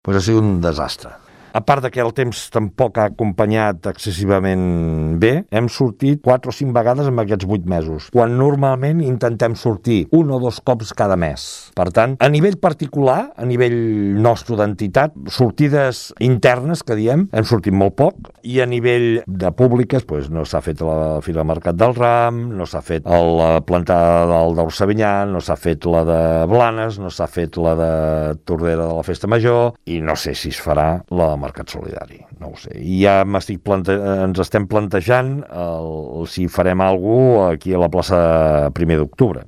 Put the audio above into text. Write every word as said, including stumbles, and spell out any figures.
Pues ha sigut un desastre. A part de que el temps tampoc ha acompanyat excessivament bé, hem sortit quatre o cinc vegades en aquests vuit mesos, quan normalment intentem sortir un o dos cops cada mes. Per tant, a nivell particular, a nivell nostre d'entitat, sortides internes, que diem, hem sortit molt poc, i a nivell de públiques, doncs, no s'ha fet la Fira del Mercat del Ram, no s'ha fet la plantada del d'Orsavinyà, no s'ha fet la de Blanes, no s'ha fet la de Tordera de la Festa Major, i no sé si es farà la Mercat Solidari, no ho sé. I ja m'estic plante... ens estem plantejant el... si farem alguna cosa aquí a la plaça primer d'octubre.